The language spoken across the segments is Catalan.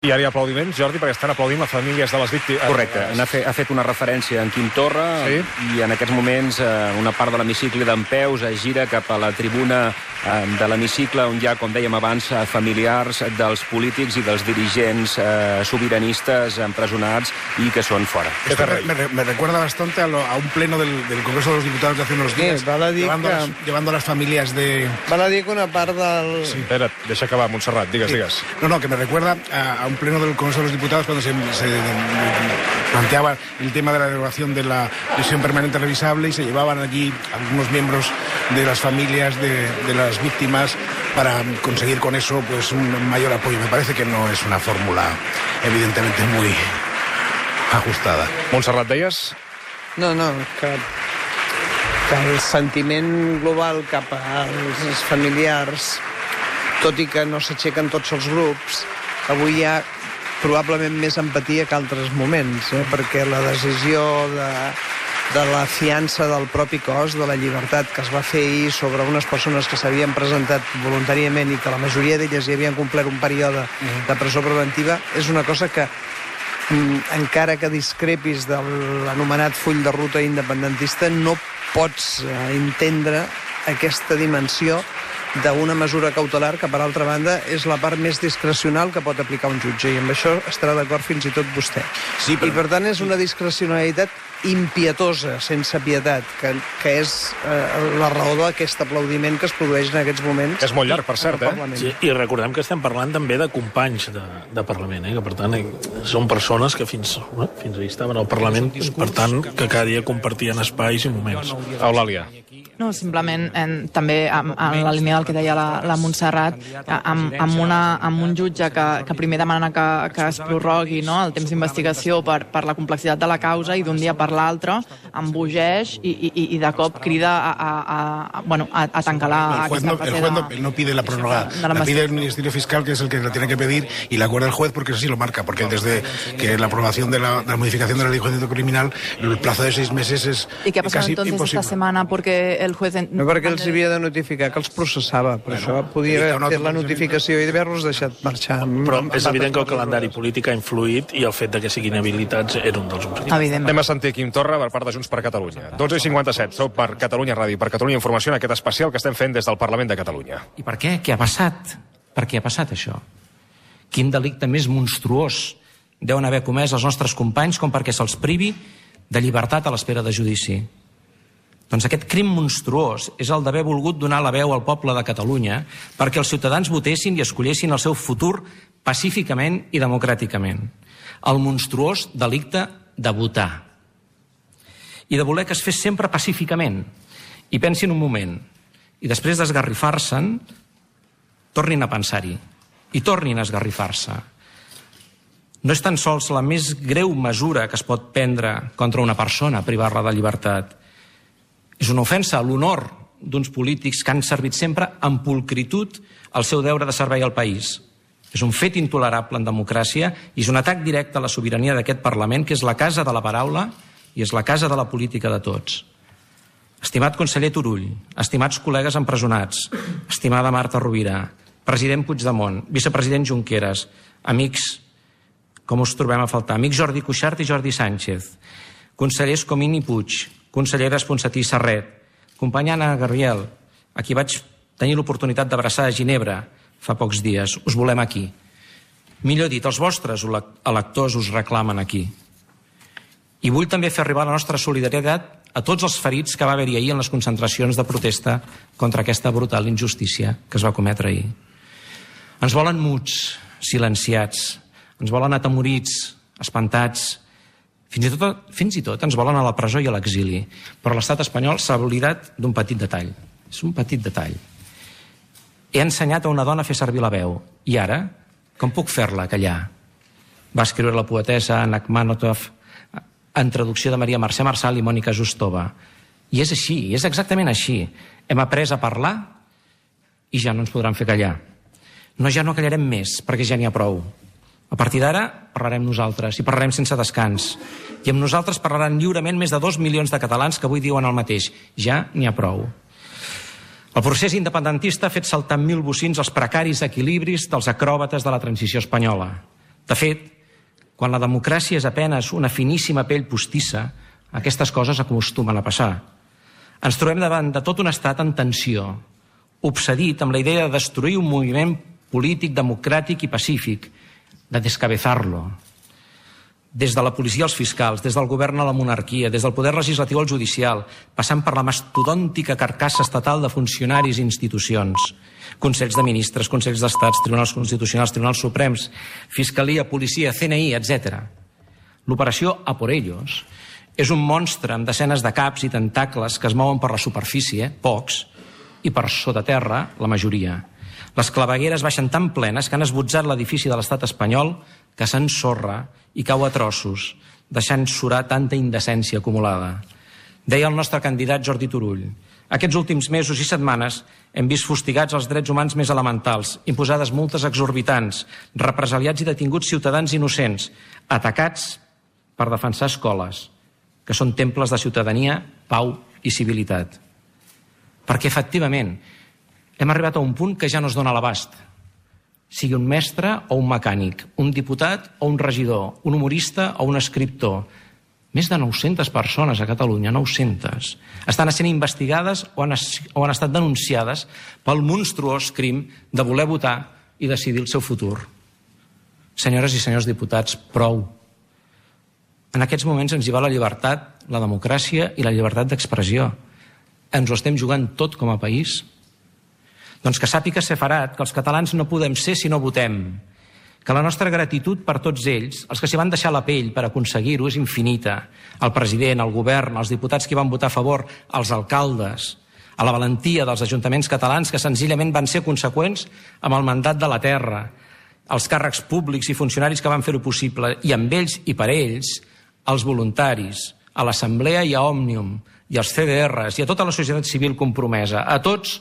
I ara hi ha aplaudiments, Jordi, perquè estan aplaudint les famílies de les víctimes. Correcte. Ha fet una referència en Quim Torra, sí? I en aquests moments una part de l'hemicicle dempeus es gira cap a la tribuna de l'hemicicle on hi ha, com dèiem abans, familiars dels polítics i dels dirigents sobiranistes empresonats i que són fora. Me recuerda bastante a un pleno del Congreso de los Diputados de hace unos días, llevando a las familias de... Val a dir que una part del... Sí. Espera't, deixa acabar, Montserrat, digues. No, que me recuerda a un pleno del Congreso de los Diputados cuando se planteaba el tema de la derogación de la prisión permanente revisable y se llevaban allí algunos miembros de las familias de las víctimas para conseguir con eso pues un mayor apoyo. Me parece que no es una fórmula evidentemente muy ajustada. Montserrat, deies? No, que el sentiment global cap als familiars, tot i que no s'aixequen tots els grups, avui hi ha probablement més empatia que altres moments, perquè la decisió de la fiança del propi cos, de la llibertat que es va fer ahir sobre unes persones que s'havien presentat voluntàriament i que la majoria d'elles ja havien complert un període de presó preventiva, és una cosa que, encara que discrepis de l'anomenat full de ruta independentista, no pots entendre aquesta dimensió d'una mesura cautelar que, per altra banda, és la part més discrecional que pot aplicar un jutge, i amb això estarà d'acord fins i tot vostè. Sí, però... I, per tant, és una discrecionalitat impietosa, sense pietat, que és la raó d'aquest aplaudiment que es produeix en aquests moments. És molt llarg, per cert, Sí, i recordem que estem parlant també de companys de Parlament, que per tant són persones que fins ahir estaven al Parlament, per tant que cada dia compartien espais i moments. Eulàlia. No, simplement també en la línia del que deia la Montserrat, amb un jutge que primer demana que es prorrogui el temps d'investigació per la complexitat de la causa i d'un dia per l'altre embogeix i de cop crida a tancar aquesta fase. El juez no pide la prórroga, la pide el Ministerio Fiscal, que es el que la tiene que pedir, y la acuerda el juez porque así lo marca, porque desde que la aprobación de la modificación de la ley de enjuiciamiento criminal, el plazo de 6 meses es casi imposible. ¿Y qué ha pasado entonces esta semana? Porque el juez... No, perquè els havia de notificar que els processava, per això podia haver fet la notificació i d'haver-los deixat marxar. Però és evident que el calendari polític ha influït i el fet que siguin habilitats era un dels motius. Anem a sentir Quim Torra per part de Junts per Catalunya. 12:57, sou per Catalunya Ràdio, per Catalunya Informació, en aquest especial que estem fent des del Parlament de Catalunya. I per què? Què ha passat? Per què ha passat això? Quin delicte més monstruós deuen haver comès els nostres companys com perquè se'ls privi de llibertat a l'espera de judici? Doncs aquest crim monstruós és el d'haver volgut donar la veu al poble de Catalunya perquè els ciutadans votessin i escollessin el seu futur pacíficament i democràticament. El monstruós delicte de votar. I de voler que es fes sempre pacíficament. I pensin un moment. I després d'esgarrifar-se'n, tornin a pensar-hi. I tornin a esgarrifar-se. No és tan sols la més greu mesura que es pot prendre contra una persona, privar-la de llibertat. És una ofensa a l'honor d'uns polítics que han servit sempre amb pulcritud el seu deure de servei al país. És un fet intolerable en democràcia i és un atac directe a la sobirania d'aquest Parlament, que és la casa de la paraula i és la casa de la política de tots. Estimat conseller Turull, estimats col·legues empresonats, estimada Marta Rovira, president Puigdemont, vicepresident Junqueras, amics, com us trobem a faltar, amics Jordi Cuixart i Jordi Sánchez, consellers Comín i Puig, conselleres Ponsatí i Serret, companya Anna Gabriel, a qui vaig tenir l'oportunitat d'abraçar a Ginebra fa pocs dies. Us volem aquí. Millor dit, els vostres electors us reclamen aquí. I vull també fer arribar la nostra solidaritat a tots els ferits que va haver-hi ahir en les concentracions de protesta contra aquesta brutal injustícia que es va cometre ahir. Ens volen muts, silenciats, ens volen atemorits, espantats, fins i tot ens volen a la presó i a l'exili, però l'estat espanyol s'ha oblidat d'un petit detall. És un petit detall. He ensenyat a una dona a fer servir la veu, i ara, com puc fer-la callar? Va escriure la poetessa Anna Akhmatov en traducció de Maria Mercè Marçal i Mònica Justova. I és així, és exactament així. Hem après a parlar i ja no ens podran fer callar. Ja no callarem més, perquè ja n'hi ha prou. A partir d'ara parlarem nosaltres, i parlarem sense descans. I amb nosaltres parlaran lliurement més de 2 milions de catalans que avui diuen el mateix. Ja n'hi ha prou. El procés independentista ha fet saltar amb 1000 bocins els precaris equilibris dels acròbates de la transició espanyola. De fet, quan la democràcia és apenes una finíssima pell postissa, aquestes coses acostumen a passar. Ens trobem davant de tot un estat en tensió, obsedit amb la idea de destruir un moviment polític, democràtic i pacífic, de descabezar-lo. Des de la policia als fiscals, des del govern a la monarquia, des del poder legislatiu al judicial, passant per la mastodòntica carcassa estatal de funcionaris i institucions, consells de ministres, consells d'estats, tribunals constitucionals, tribunals suprems, fiscalia, policia, CNI, etc. L'operació A por ellos és un monstre amb desenes de caps i tentacles que es mouen per la superfície, pocs, i per sota terra, la majoria. Les clavegueres baixen tan plenes que han esbotzat l'edifici de l'estat espanyol que s'ensorra i cau a trossos, deixant surar tanta indecència acumulada. Deia el nostre candidat Jordi Turull: aquests últims mesos i setmanes hem vist fustigats els drets humans més elementals, imposades multes exorbitants, represaliats i detinguts ciutadans innocents, atacats per defensar escoles, que són temples de ciutadania, pau i civilitat. Perquè, efectivament, hem arribat a un punt que ja no es dona l'abast. Sigui un mestre o un mecànic, un diputat o un regidor, un humorista o un escriptor. Més de 900 persones a Catalunya, 900, estan sent investigades o han estat denunciades pel monstruós crim de voler votar i decidir el seu futur. Senyores i senyors diputats, prou. En aquests moments ens hi va la llibertat, la democràcia i la llibertat d'expressió. Ens ho estem jugant tot com a país? Doncs que sàpiga Seferat que els catalans no podem ser si no votem, que la nostra gratitud per tots ells, els que s'hi van deixar la pell per aconseguir-ho, és infinita. El president, el govern, els diputats que van votar a favor, els alcaldes, a la valentia dels ajuntaments catalans que senzillament van ser conseqüents amb el mandat de la terra, els càrrecs públics i funcionaris que van fer-ho possible, i amb ells i per ells, els voluntaris, a l'Assemblea i a Òmnium, i als CDRs, i a tota la societat civil compromesa. A tots,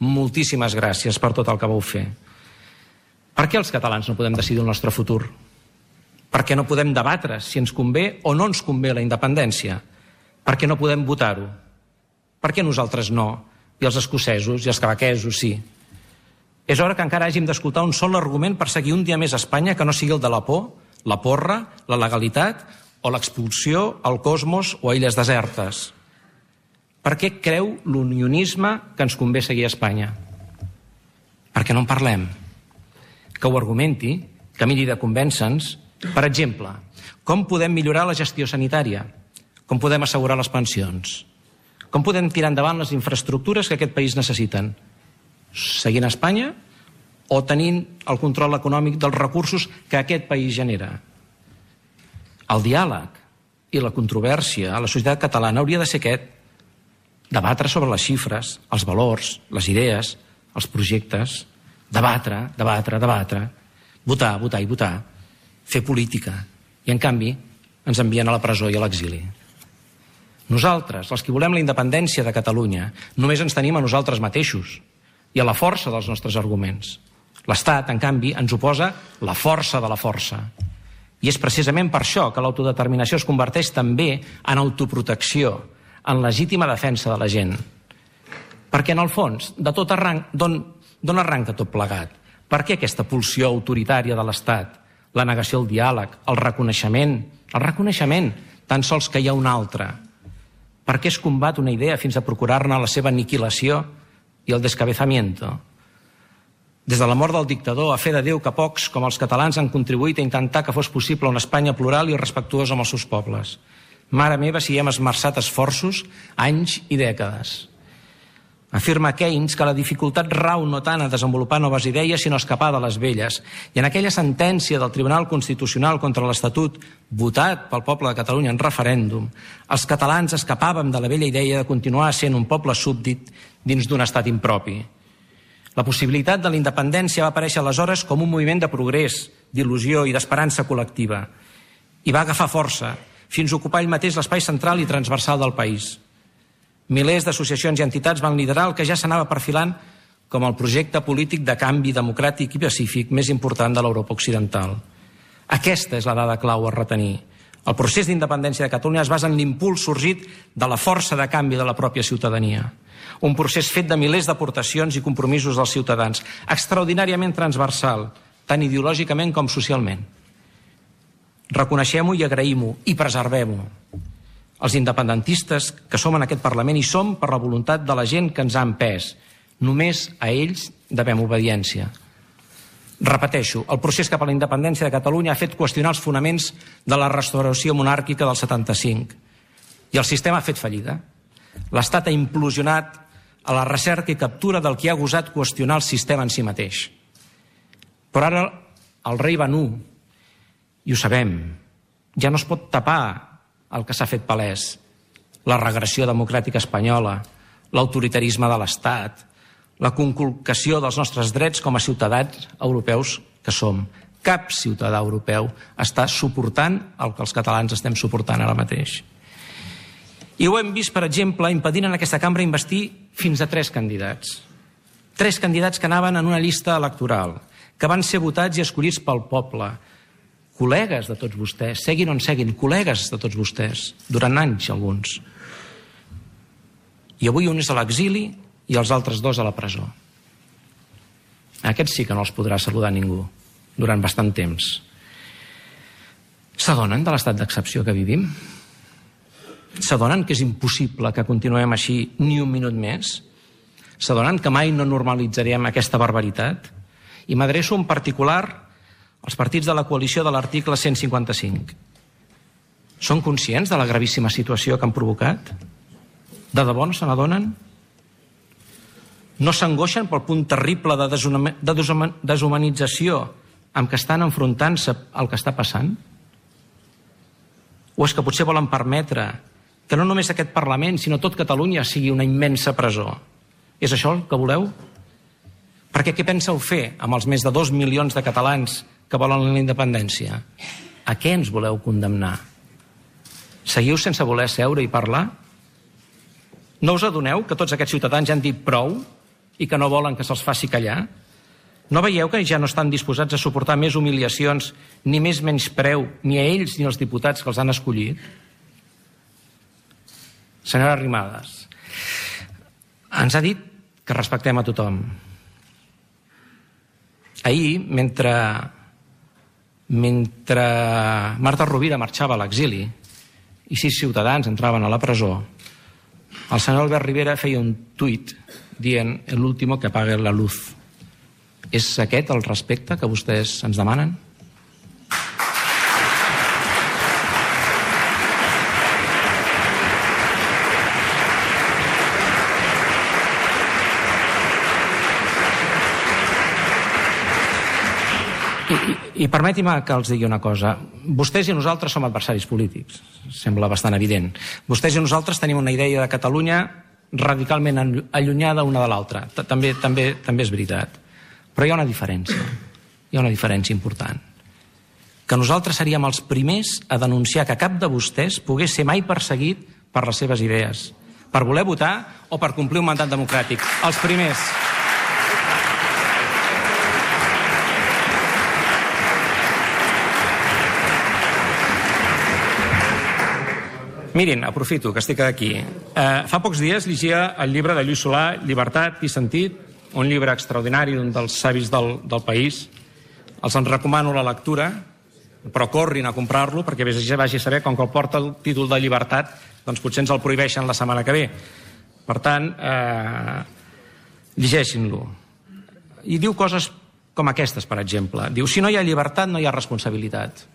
moltíssimes gràcies per tot el que vau fer. Per què els catalans no podem decidir el nostre futur? Per què no podem debatre si ens convé o no ens convé la independència? Per què no podem votar-ho? Per què nosaltres no? I els escocesos i els quebequesos sí? És hora que encara hàgim d'escoltar un sol argument per seguir un dia més a Espanya que no sigui el de la por, la porra, la legalitat o l'expulsió al cosmos o a illes desertes. Per què creu l'unionisme que ens convé seguir a Espanya? Per què no en parlem? Que ho argumenti, que miri de convèncer-nos. Per exemple, com podem millorar la gestió sanitària? Com podem assegurar les pensions? Com podem tirar endavant les infraestructures que aquest país necessiten? Seguint a Espanya o tenint el control econòmic dels recursos que aquest país genera? El diàleg i la controvèrsia a la societat catalana hauria de ser aquest: debatre sobre les xifres, els valors, les idees, els projectes, debatre, votar, votar i votar, fer política. I, en canvi, ens envien a la presó i a l'exili. Nosaltres, els que volem la independència de Catalunya, només ens tenim a nosaltres mateixos i a la força dels nostres arguments. L'Estat, en canvi, ens oposa la força de la força. I és precisament per això que l'autodeterminació es converteix també en autoprotecció, en legítima defensa de la gent. Perquè, en el fons, de tot d'on arranca tot plegat? Per què aquesta pulsió autoritària de l'Estat? La negació al diàleg, el reconeixement, tan sols que hi ha un altre. Per què es combat una idea fins a procurar-ne la seva aniquilació i el descabezamiento? Des de la mort del dictador, a fe de Déu que pocs, com els catalans, han contribuït a intentar que fos possible una Espanya plural i respectuosa amb els seus pobles. Mare meva, si hem esmerçat esforços, anys i dècades. Afirma Keynes que la dificultat rau no tant a desenvolupar noves idees, sinó a escapar de les velles. I en aquella sentència del Tribunal Constitucional contra l'Estatut, votat pel poble de Catalunya en referèndum, els catalans escapàvem de la vella idea de continuar sent un poble súbdit dins d'un estat impropi. La possibilitat de la independència va aparèixer aleshores com un moviment de progrés, d'il·lusió i d'esperança col·lectiva. I va agafar força, fins a ocupar ell mateix l'espai central i transversal del país. Milers d'associacions i entitats van liderar el que ja s'anava perfilant com el projecte polític de canvi democràtic i pacífic més important de l'Europa occidental. Aquesta és la dada clau a retenir. El procés d'independència de Catalunya es basa en l'impuls sorgit de la força de canvi de la pròpia ciutadania. Un procés fet de milers d'aportacions i compromisos dels ciutadans, extraordinàriament transversal, tant ideològicament com socialment. Reconeixem-ho i agraïm-ho i preservem-ho. Els independentistes que som en aquest Parlament hi som per la voluntat de la gent que ens ha empès. Només a ells devem obediència. Repeteixo, el procés cap a la independència de Catalunya ha fet qüestionar els fonaments de la restauració monàrquica del 75. I el sistema ha fet fallida. L'Estat ha implosionat a la recerca i captura del que ha gosat qüestionar el sistema en si mateix. Però ara el rei va nu, i ho sabem, ja no es pot tapar el que s'ha fet palès, la regressió democràtica espanyola, l'autoritarisme de l'Estat, la conculcació dels nostres drets com a ciutadans europeus que som. Cap ciutadà europeu està suportant el que els catalans estem suportant ara mateix. I ho hem vist, per exemple, impedint en aquesta cambra investir fins a 3 candidats. 3 candidats que anaven en una llista electoral, que van ser votats i escollits pel poble, col·legues de tots vostès, seguin on seguin, col·legues de tots vostès, durant anys alguns. I avui un és a l'exili i els altres 2 a la presó. Aquests sí que no els podrà saludar ningú durant bastant temps. S'adonen de l'estat d'excepció que vivim? S'adonen que és impossible que continuem així ni un minut més? S'adonen que mai no normalitzarem aquesta barbaritat? I m'adreço en particular als partits de la coalició de l'article 155. Són conscients de la gravíssima situació que han provocat? De debò no se n'adonen? No s'angoixen pel punt terrible de deshumanització amb què estan enfrontant-se al que està passant? O és que potser volen permetre que no només aquest Parlament, sinó tot Catalunya sigui una immensa presó? És això el que voleu? Perquè què penseu fer amb els més de 2 milions de catalans que volen la independència? A què ens voleu condemnar? Seguiu sense voler seure i parlar? No us adoneu que tots aquests ciutadans ja han dit prou i que no volen que se'ls faci callar? No veieu que ja no estan disposats a suportar més humiliacions ni més menyspreu ni a ells ni als diputats que els han escollit? Senyora Arrimadas, ens ha dit que respectem a tothom. Ahir, mentre Marta Rovira marxava a l'exili i 6 ciutadans entraven a la presó, el senyor Albert Rivera feia un tuit dient el último que apague la luz. És aquest el respecte que vostès ens demanen? I permeti'm que els digui una cosa. Vostès i nosaltres som adversaris polítics. Sembla bastant evident. Vostès i nosaltres tenim una idea de Catalunya radicalment allunyada una de l'altra. També és veritat. Però hi ha una diferència. Hi ha una diferència important. Que nosaltres seríem els primers a denunciar que cap de vostès pogués ser mai perseguit per les seves idees, per voler votar o per complir un mandat democràtic. Els primers. Mirin, aprofito que estic aquí. Fa pocs dies llegia el llibre de Lluís Solà, Llibertat i sentit, un llibre extraordinari d'un dels savis del país. Els en recomano la lectura, però corrin a comprar-lo perquè vagi a saber, com que el porta el títol de llibertat, doncs potser ens el prohibeixen la setmana que ve. Per tant, llegeixin-lo. I diu coses com aquestes, per exemple. Diu, si no hi ha llibertat, no hi ha responsabilitat.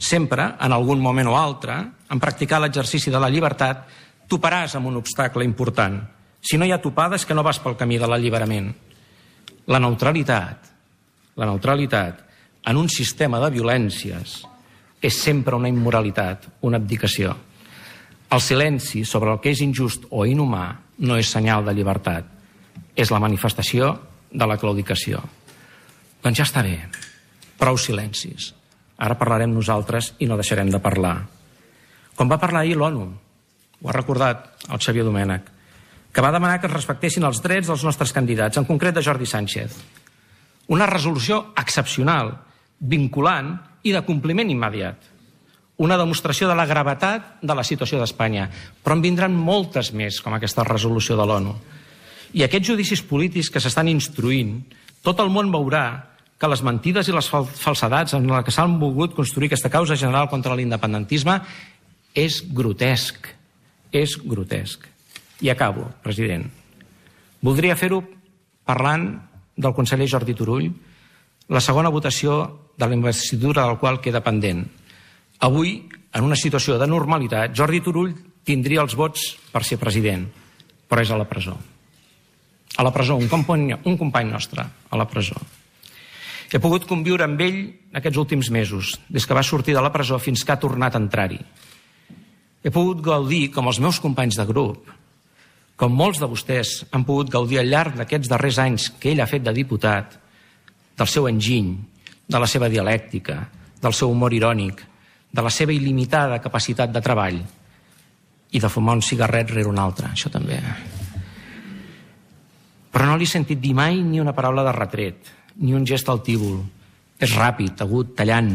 Sempre, en algun moment o altre, en practicar l'exercici de la llibertat, toparàs amb un obstacle important. Si no hi ha topada és que no vas pel camí de l'alliberament. La neutralitat, en un sistema de violències, és sempre una immoralitat, una abdicació. El silenci sobre el que és injust o inhumà no és senyal de llibertat, és la manifestació de la claudicació. Doncs ja està bé, prou silencis. Ara parlarem nosaltres i no deixarem de parlar. Com va parlar ahir l'ONU, ho ha recordat el Xavier Domènech, que va demanar que es respectessin els drets dels nostres candidats, en concret de Jordi Sánchez. Una resolució excepcional, vinculant i de compliment immediat. Una demostració de la gravetat de la situació d'Espanya. Però en vindran moltes més, com aquesta resolució de l'ONU. I aquests judicis polítics que s'estan instruint, tot el món veurà que les mentides i les falsedats en les que s'han volgut construir aquesta causa general contra l'independentisme és grotesc. És grotesc. I acabo, president. Voldria fer-ho parlant del conseller Jordi Turull, la segona votació de la investidura del qual queda pendent. Avui, en una situació de normalitat, Jordi Turull tindria els vots per ser president, però és a la presó. A la presó, un company nostre, a la presó. He pogut conviure amb ell aquests últims mesos, des que va sortir de la presó fins que ha tornat a entrar-hi. He pogut gaudir, com els meus companys de grup, com molts de vostès han pogut gaudir al llarg d'aquests darrers anys que ell ha fet de diputat, del seu enginy, de la seva dialèctica, del seu humor irònic, de la seva il·limitada capacitat de treball i de fumar un cigarret rere un altre, això també. Però no li he sentit dir mai ni una paraula de retret, ni un gest altívol. És ràpid, agut, tallant.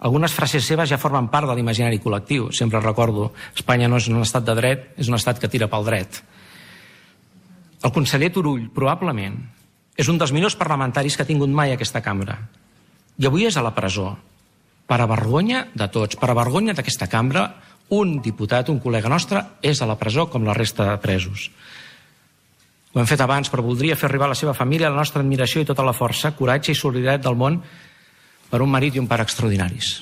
Algunes frases seves ja formen part de l'imaginari col·lectiu. Sempre recordo, Espanya no és un estat de dret, és un estat que tira pel dret. El conseller Turull, probablement, és un dels millors parlamentaris que ha tingut mai aquesta cambra. I avui és a la presó. Per a vergonya de tots, per a vergonya d'aquesta cambra, un diputat, un col·lega nostre, és a la presó com la resta de presos. Ho hem fet abans, però voldria fer arribar a la seva família la nostra admiració i tota la força, coratge i solidaritat del món per un marit i un pare extraordinaris.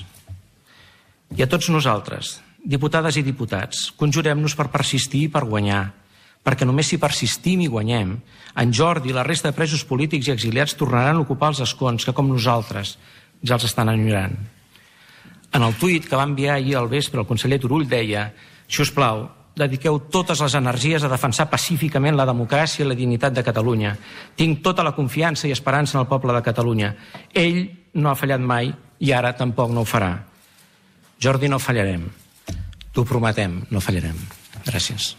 I a tots nosaltres, diputades i diputats, conjurem-nos per persistir i per guanyar, perquè només si persistim i guanyem, en Jordi i la resta de presos polítics i exiliats tornaran a ocupar els escons que, com nosaltres, ja els estan enyorant. En el tuit que va enviar ahir al vespre el conseller Turull deia: si us plau, dediqueu totes les energies a defensar pacíficament la democràcia i la dignitat de Catalunya. Tinc tota la confiança i esperança en el poble de Catalunya. Ell no ha fallat mai i ara tampoc no ho farà. Jordi, no fallarem. T'ho prometem, no fallarem. Gràcies.